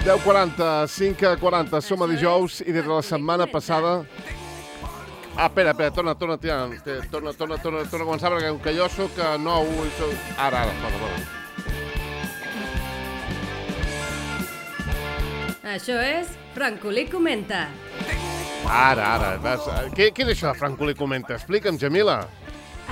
10:40, 5:40, som a dijous i des de la setmana passada... Espera, torna a començar perquè que jo sóc nou i sóc... Ara, perdona. Això és Francolí Comenta. Ara. Què és això de Francolí Comenta? Explica'm, Jamila.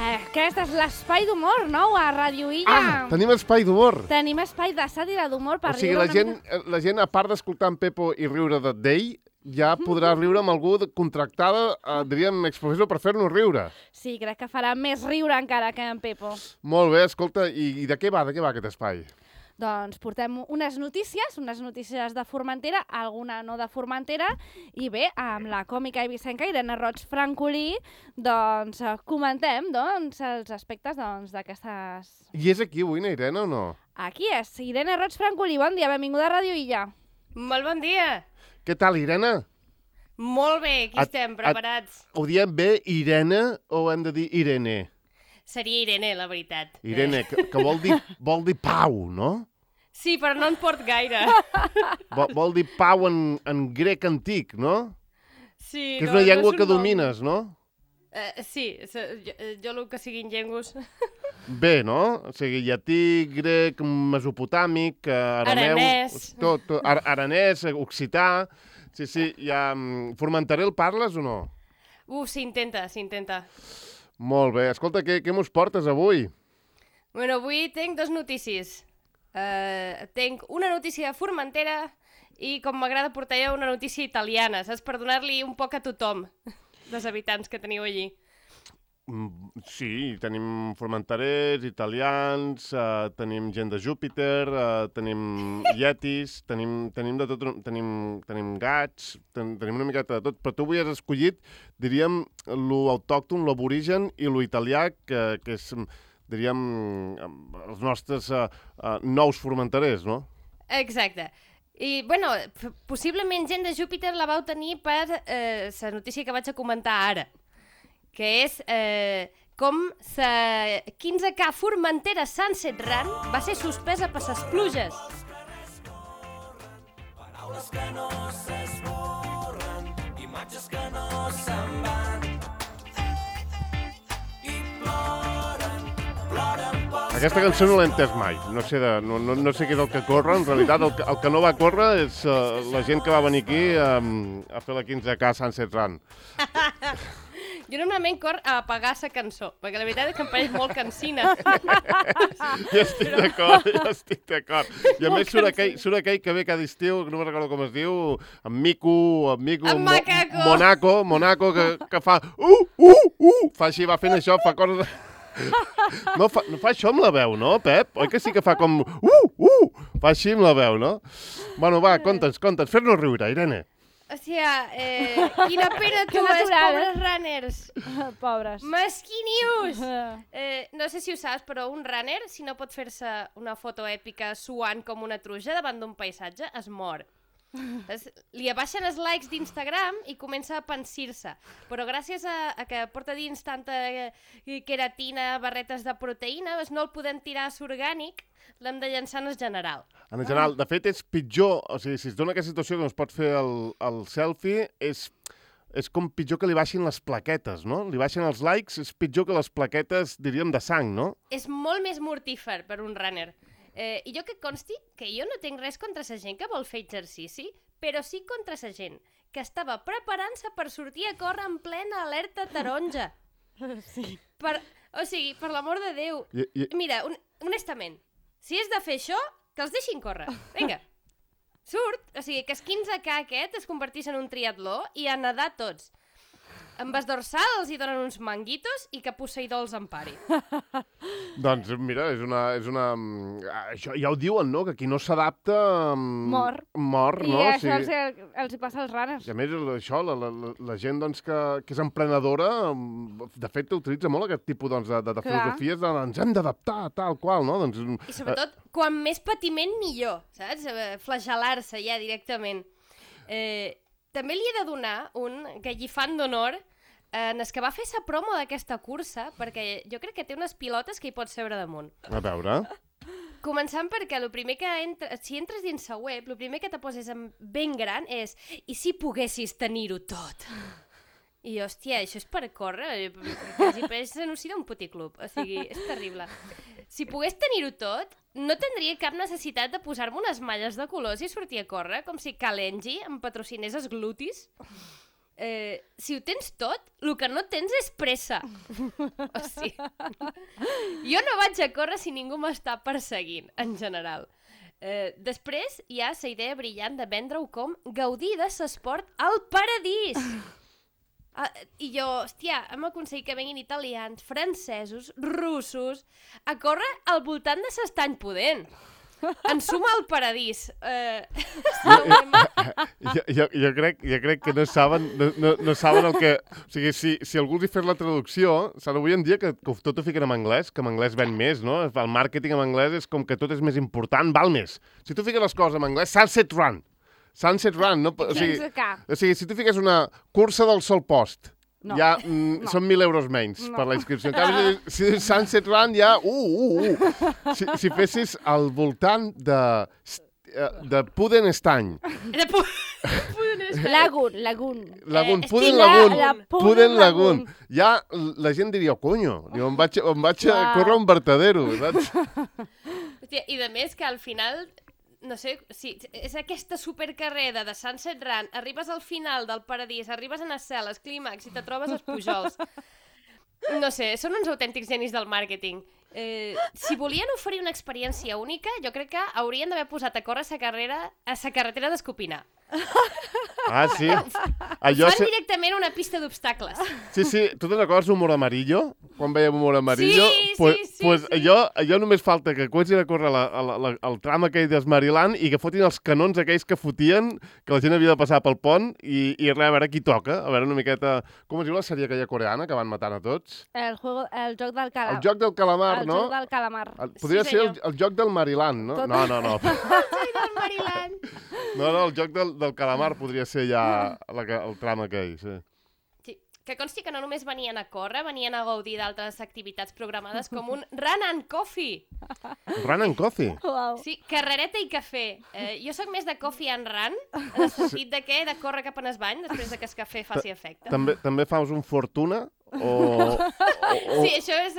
Aquest és l'espai d'humor, no? A Ràdio Illa. Tenim espai d'humor. Tenim espai de sàtira d'humor per riure. O sigui, la gent, a part d'escoltar en Pepo i riure d'ell, ja podrà riure amb algú contractada, diríem, exprofessor, per fer-nos riure. Sí, crec que farà més riure encara que en Pepo. Molt bé, escolta, i de què va aquest espai? Doncs portem unes notícies de Formentera, alguna no de Formentera, i bé, amb la còmica eivissenca Irene Roig Francolí, doncs comentem els aspectes d'aquestes... I és aquí avui, Irene, o no? Aquí és, Irene Roig Francolí, bon dia, benvinguda a Ràdio Illa. Molt bon dia. Què tal, Irene? Molt bé, aquí estem, preparats. Ho diem bé, Irene, o hem de dir Irene? Seria Irene, la veritat. Irene, que vol dir pau, no? Sí, però no en port gaire. Vol dir pau en grec antic, no? Sí, que és una llengua que domines, no? Sí, jo el que siguin llengües... Bé, no? O sigui, llatí, grec, mesopotàmic, arameu... Aranès. Tot, aranès, occità... Sí, ja... Formentaré el parles o no? S'intenta. Molt bé. Escolta, què mos portes avui? Bueno, avui tinc dues notícies. Tinc una notícia de Formentera i, com m'agrada portar jo, una notícia italiana, saps? Per donar-li un poc a tothom dels habitants que teniu allí. Sí, tenim formenterers, italians, tenim gent de Júpiter, tenim yetis, tenim de tot, tenim gats, tenim una miqueta de tot, però tu avui has escollit, diríem, lo autòcton, l'aborigen i lo italià, que és, diríem, els nostres nous formenterers, no? Exacte. I, bueno, possiblement gent de Júpiter la vau tenir per la notícia que vaig a comentar ara, que és com la 15K Formentera Sunset Run va ser suspesa per les pluges. Paraules que no s'esborren, imatges que no se'n van, i ploren per... Aquesta cançó no l'he entès mai, no sé què és el que corre, en realitat el que no va córrer és la gent que va venir aquí a fer la 15K Sunset Run. Jo normalment cor a apagar la cançó, perquè la veritat és que em pareix molt cansina. Ja estic d'acord. I a més surt aquell que ve cada estiu, no me'n recordo com es diu, en Mico, en Macaco. Monaco, que fa fa així, va fent això, fa coses... No fa això amb la veu, no, Pep? Oi que sí que fa com... Fa així amb la veu, no? Bueno, va, conta'ns, fes-nos riure, Irene. O sigui, quina pena tu, pobres runners. Pobres. Mesquinius! No sé si ho saps, però un runner, si no pot fer-se una foto èpica suant com una truja davant d'un paisatge, es mor. Li abaixen els likes d'Instagram i comença a pensir-se. Però gràcies a que porta dins tanta queratina, barretes de proteïna, no el podem tirar a l'orgànic, l'hem de llançar en el general. En el general, de fet, és pitjor, o sigui, si es dona aquesta situació que no es pot fer el selfie, és com pitjor que li baixin les plaquetes, no? Li baixen els likes, és pitjor que les plaquetes, diríem, de sang, no? És molt més mortífer per un runner. I jo que consti que jo no tinc res contra la gent que vol fer exercici, però sí contra la gent que estava preparant-se per sortir a córrer en plena alerta taronja. Sí. O sigui, per l'amor de Déu. Mira, honestament, si és de fer això, que els deixin córrer. Vinga. Surt, o sigui, que el 15K aquest es convertís en un triatló i a nedar tots. Amb el dorsal els hi donen uns manguitos i que Poseidó els empari. Doncs mira, és una... Això ja ho diuen, no? Que qui no s'adapta... Mor, no? I això els hi passa als runners. I a més, això, la gent doncs, que és emprenedora, de fet, utilitza molt aquest tipus de filosofies de ens hem d'adaptar, tal qual, no? Doncs, I sobretot, quan més patiment, millor, saps? Flagel·lar-se ja directament. També li he de donar un gallifant d'honor en el que va fer la promo d'aquesta cursa, perquè jo crec que té unes pilotes que hi pots seure damunt. A veure... Començant perquè el primer que si entres dins la web, el primer que te poses ben gran és i si poguessis tenir-ho tot? I jo, hòstia, això és per córrer, quasi pareix l'anunci d'un puticlub, o sigui, és terrible. Si pogués tenir-ho tot, no tindria cap necessitat de posar-me unes malles de colors i sortir a córrer, com si Kalenji em patrocinés els glutis. Si ho tens tot, el que no tens és pressa. O sigui, jo no vaig a córrer si ningú m'està perseguint, en general. Després hi ha la idea brillant de vendre-ho com gaudir de l'esport al paradís. I jo, hòstia, hem aconseguit que venguin italians, francesos, russos, a córrer al voltant de l'estany pudent. En suma al paradís. Jo crec que no saben el que... O sigui, si algú els hi fes la traducció, avui en dia que tot ho fiquen en anglès, que en anglès ven més, no? El màrqueting en anglès és com que tot és més important, val més. Si tu fiques les coses en anglès, Sunset Run, no? O sigui, si tu fiques una cursa del Sol Post, no. Ja són 1.000 euros menys per la inscripció. En canvi, si Sunset Run ja... Si fessis al voltant de Puden Estany. Puden Lagoon. Ja la gent diria, conyo, em vaig a córrer un vertedero, saps? Hòstia, i de més que al final... No sé, si és aquesta supercarrera de Sunset Run, arribes al final del paradís, arribes en el cel, al clímax i te trobes els pujols. No sé, són uns autèntics genis del màrqueting. Si volien oferir una experiència única, jo crec que haurien d'haver posat a córrer a la carretera d'Escopinar. Ah, sí? Fan directament una pista d'obstacles. Sí, tu te'n recordes Humor Amarillo? Quan veiem Humor Amarillo? Sí. Allò només falta que comencin a córrer el tram aquell d'Esmariland i que fotin els canons aquells que fotien, que la gent havia de passar pel pont i res, a veure qui toca, a veure una miqueta... Com es diu la sèrie aquella coreana que van matant a tots? El joc del calamar. El joc del calamar, no? El joc del calamar. Podria ser el joc del Mariland, no? No. El joc del Mariland. No, el joc del calamar podria ser ja el tram aquell, sí. Sí, que consti que no només venien a córrer, venien a gaudir d'altres activitats programades com un Run and Coffee. Run and Coffee? Wow. Sí, carrereta i cafè. Jo sóc més de coffee and run, en el sentit de què? De córrer cap en el bany després de que el cafè faci efecte. També fas un Fortuna? Sí, això és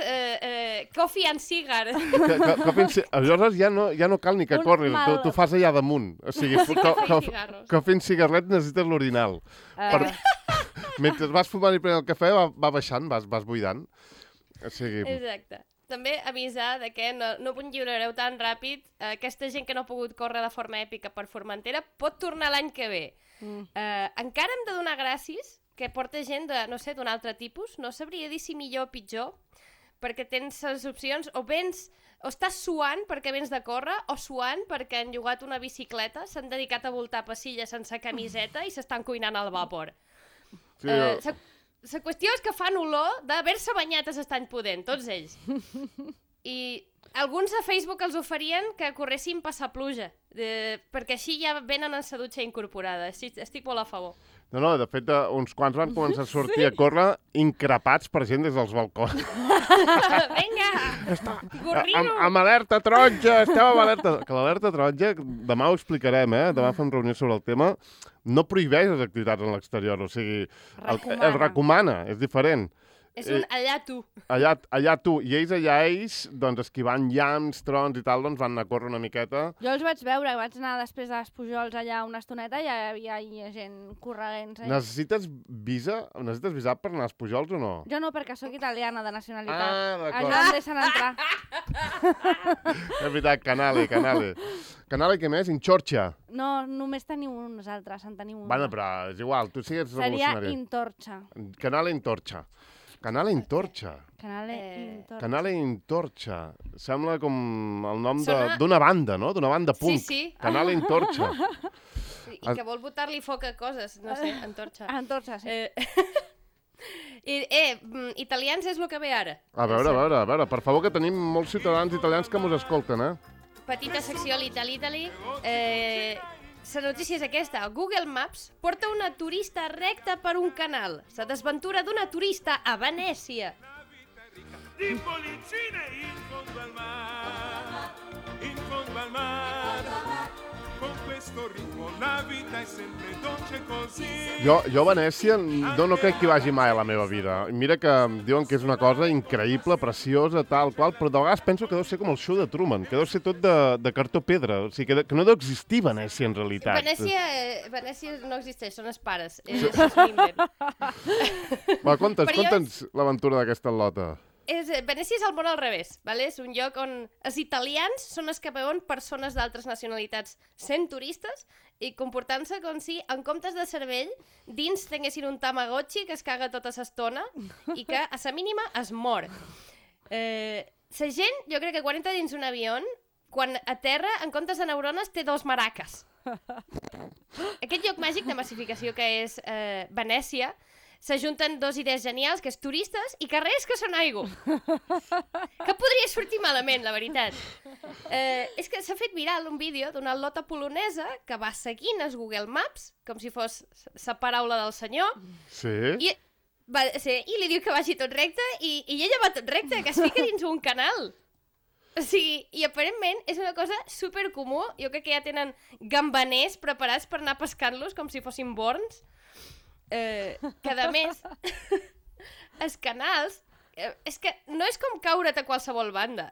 coffee and cigar. Aleshores ja no cal ni que corris, tu fas allà damunt. O sigui, coffee and cigarret necessites l'orinal. Mentre vas fumant i prenent el cafè va baixant, vas buidant. O sigui... Exacte. També avisar de que no ho lliurareu tan ràpid. Aquesta gent que no ha pogut córrer de forma èpica per Formentera pot tornar l'any que ve. Encara hem de donar gràcies que porta gent d'un altre tipus. No sabria dir si millor o pitjor, perquè tens les opcions o estàs suant perquè vens de córrer o suant perquè han llogat una bicicleta, s'han dedicat a voltar passilles sense camiseta i s'estan cuinant al vapor. Sí, la qüestió és que fan olor d'haver-se banyat a l'estany pudent, tots ells. I alguns a Facebook els oferien que corressin passar pluja, perquè així ja venen en la dutxa incorporada. Estic molt a favor. No, de fet, uns quants van començar a sortir a córrer increpats per gent des dels balcons. Vinga, gorrino! Amb alerta taronja, esteu amb alerta... Que l'alerta taronja, demà ho explicarem, demà fem reunió sobre el tema, no prohibeix les activitats en l'exterior, o sigui, el recomana, és diferent. És un allà tu. Allà tu. I ells, doncs, esquivant llamps, trons i tal, doncs van anar a córrer una miqueta. Jo els vaig veure, vaig anar després dels pujols allà una estoneta i hi havia gent corregents. Necessites visa per anar als pujols o no? Jo no, perquè sóc italiana de nacionalitat. Ah, d'acord. Allà em deixen entrar. És veritat, Canale. Canale, què més? Inxorxa. No, només teniu uns altres, en teniu un. Bueno, però és igual, tu sigues revolucionària. Seria Intorxa. Canale Intorxa. Canale Intorxa. Canale Intorxa. Sembla com el nom d'una banda, no? D'una banda punk. Sí. Canale Intorxa. I que vol botar-li foc a coses, no sé, Antorxa. Antorxa, sí. Italians és el que ve ara. A veure, per favor, que tenim molts ciutadans italians que mos escolten, Petita secció l'Itali. La notícia és aquesta. Google Maps porta una turista recta per un canal. La desventura d'una turista a Venècia. Jo a Venècia no crec que hi vagi mai a la meva vida. Mira que diuen que és una cosa increïble, preciosa, tal qual, però de vegades penso que deu ser com el show de Truman, que deu ser tot de cartó pedra, o sigui, que no deu existir Venècia en realitat. Venècia no existeix, són els pares. És l'invent. Va, conta'ns l'aventura d'aquesta al·lota. Venècia és el món al revés, vale? És un lloc on els italians són els que veuen persones d'altres nacionalitats sent turistes i comportant-se com si, en comptes de cervell, dins tinguessin un tamagotchi que es caga tota l'estona i que, a la mínima, es mor. La gent, jo crec que quan entra dins un avió, quan aterra, en comptes de neurones, té 2 maraques. Aquest lloc màgic de massificació que és Venècia, s'ajunten 2 idees genials, que és turistes i carrers que són aigua. Que podria sortir malament, la veritat. És que s'ha fet viral un vídeo d'una al·lota polonesa que va seguint el Google Maps, com si fos la paraula del senyor. Sí? I li diu que vagi tot recte i ella va tot recte, que es fica dins un canal. O sigui, i aparentment és una cosa supercomú. Jo crec que ja tenen gambaners preparats per anar pescant-los com si fossin borns. Que a més els canals és que no és com caure't a qualsevol banda.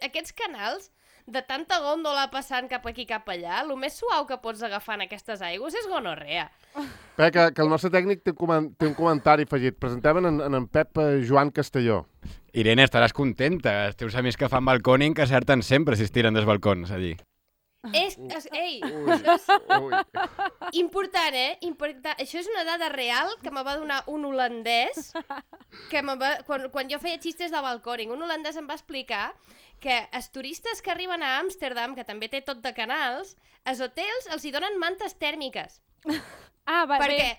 Aquests canals de tanta gòndola passant cap aquí cap allà, el més suau que pots agafar en aquestes aigües és gonorrea. Que el nostre tècnic té un comentari afegit. Presentem en Pep Joan Castelló. Irene, estaràs contenta. Els teus amics que fan balcòning que acerten sempre si es tiren dels balcons allí. Ei, important, important. Això és una dada real que me va donar un holandès que quan jo feia xistes de balcòning. Un holandès em va explicar que els turistes que arriben a Amsterdam, que també té tot de canals, els hotels els hi donen mantes tèrmiques. Perquè,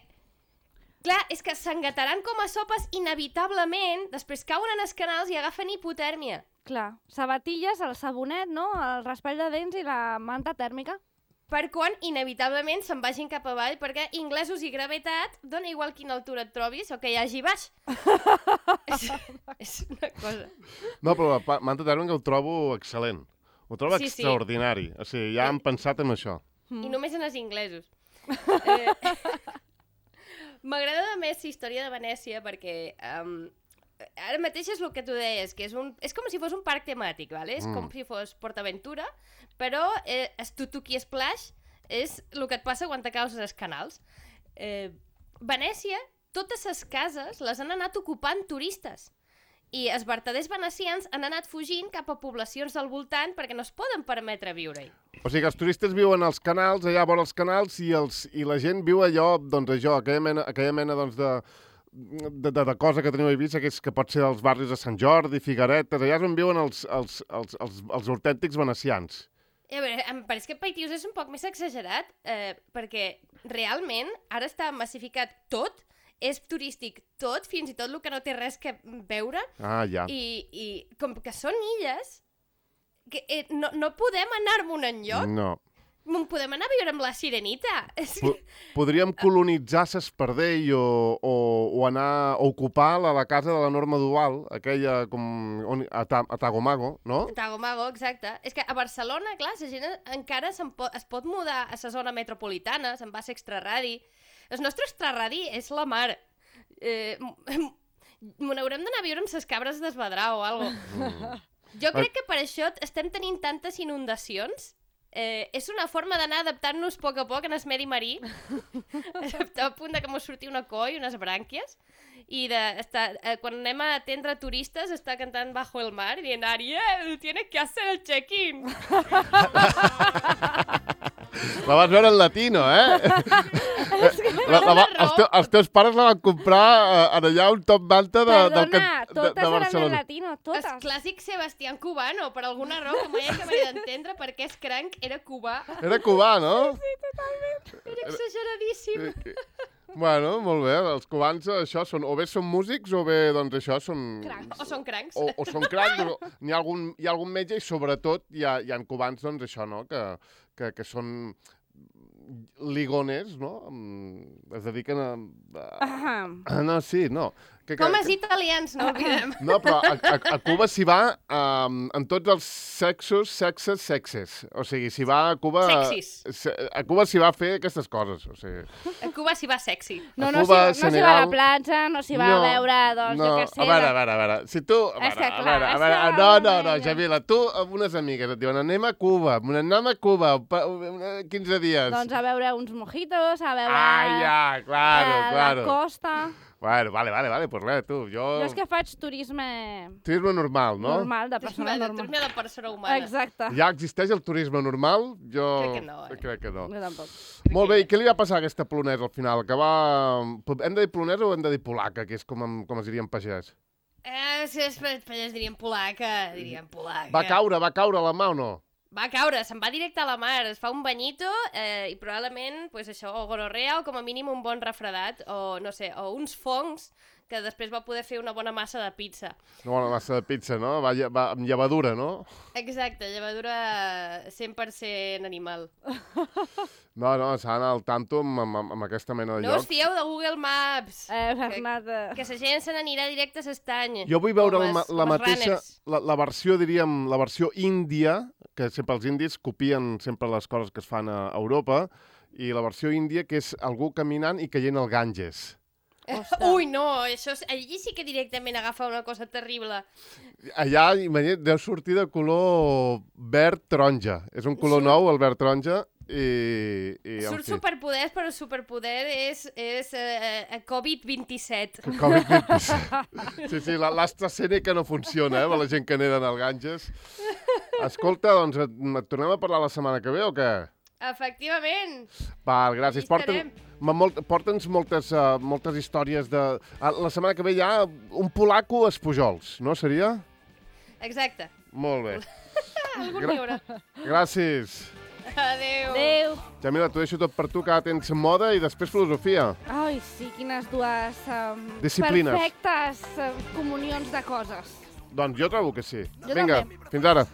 clar, és que s'engataran com a sopes inevitablement, després cauen en els canals i agafen hipotèrmia. Clar, sabatilles, el sabonet, no? El raspall de dents i la manta tèrmica. Per quan, inevitablement, se'n vagin cap avall, perquè inglesos i gravetat, dona igual quina altura et trobis o que hi hagi baix. És una cosa. No, però la manta tèrmica ho trobo excel·lent. Ho trobo extraordinari. O sigui, ja han pensat en això. I només en els inglesos. M'agrada més la història de Venècia perquè... ara mateix és el que tu deies, que és com si fos un parc temàtic, ¿vale? És com si fos PortAventura, però Tutuki Splash és el que et passa quan t'acaus als canals. Venècia, totes les cases les han anat ocupant turistes i els vertaders venecians han anat fugint cap a poblacions del voltant perquè no es poden permetre viure-hi. O sigui que els turistes viuen als canals, allà vora els canals, i la gent viu allò, doncs això, aquella mena doncs, de cosa que teniu a Eivissa, que pot ser dels barris de Sant Jordi, Figueretes, allà és on viuen els autèntics venecians. A veure, em pareix que Paitius és un poc més exagerat, perquè realment ara està massificat tot, és turístic tot, fins i tot el que no té res que veure. Ah, ja. I com que són illes, que, no podem anar-me'n enlloc. No. Podem anar a viure amb la Sirenita. Podríem colonitzar s'Espardell o anar a ocupar la casa de la Norma Duval, aquella a Tagomago, no? Tagomago, exacte. És que a Barcelona, clar, la gent encara es pot mudar a la zona metropolitana, se'n va a l'extraradi. El nostre extraradi és la mar. N'haurem d'anar a viure amb les cabres d'Esvedrar o alguna cosa. Jo crec que per això estem tenint tantes inundacions. És una forma d'anar adaptant-nos a poc en el medi marí, a punt que mos surti una coi, unes brànquies, i quan anem a atendre turistes està cantant Bajo el mar i dient Ariel, tienes que hacer el check-in. La vas veure en latino, Els teus pares la van comprar allà un top manta de Barcelona. Totes eren en latino, totes. El clàssic Sebastián Cubano, per alguna raó que mai acabaré d'entendre per què és cranc, era cubà. Era cubà, no? Sí, totalment. Era exageradíssim. Bueno, molt bé, els cubans això són, o bé són músics o bé, doncs això, són... Crancs. O són crancs. O són crancs, hi ha algun metge i sobretot hi ha cubans, doncs això, no?, que són ligones, no? Es dediquen a... No, sí, no. Com els italians, no oblidem. No, però a Cuba s'hi va en tots els sexes. O sigui, s'hi va a Cuba... Sexis. A Cuba s'hi va a fer aquestes coses, o sigui... A Cuba s'hi va sexy. No s'hi va a la platja, no s'hi va a veure, doncs, jo què sé... A veure, si tu... No, Jamila, tu amb unes amigues et diuen anem a Cuba, 15 dies. Doncs a veure uns mojitos, a veure... Claro. La costa... Bueno, vale, pues res, tu, jo és que faig turisme... Turisme normal, no? Normal, de persona normal. Turisme de persona humana. Exacte. Ja existeix el turisme normal? Jo... Crec que no, Jo tampoc. Molt bé, i què li va passar a aquesta polonesa al final? Que va... Hem de dir polonesa o hem de dir polaca, que és com es diria en pagès? Si és pagès diríem polaca, Va caure a la mà o no? Va caure, se'n va directe a la mar, es fa un banyito i probablement, pues això, o gonorrea o com a mínim un bon refredat, o no sé, o uns fongs que després va poder fer una bona massa de pizza. Una bona massa de pizza, no? Va amb llevadura, no? Exacte, llevadura 100% animal. No, s'ha d'anar al tanto amb aquesta mena de llocs. No us fieu de Google Maps. Bernat... Que la gent se n'anirà directe a l'estany. Jo vull veure la mateixa, la versió, diríem, la versió índia, que sempre els indis copien sempre les coses que es fan a Europa, i la versió índia, que és algú caminant i caient al Ganges. Ui, no, allí sí que directament agafa una cosa terrible. Allà, imagina't, deu sortir de color verd-taronja. És un color nou, el verd-taronja, i surt superpoders, però el superpoder és Covid-27. Covid-27. Sí, l'AstraZeneca no funciona, la gent que neda al Ganges. Escolta, doncs et tornem a parlar la setmana que ve o què? Efectivament. Val, gràcies. Porta'ns moltes històries de... La setmana que ve hi ha un polaco a Espujols, no seria? Exacte. Molt bé. Algun n'hi haurà. Gràcies. Adéu. Jamila, t'ho deixo tot per tu, que ara tens moda i després filosofia. Ai, sí, quines dues disciplines. Perfectes comunions de coses. Doncs jo trobo que sí. Jo Vinga, també. fins ara.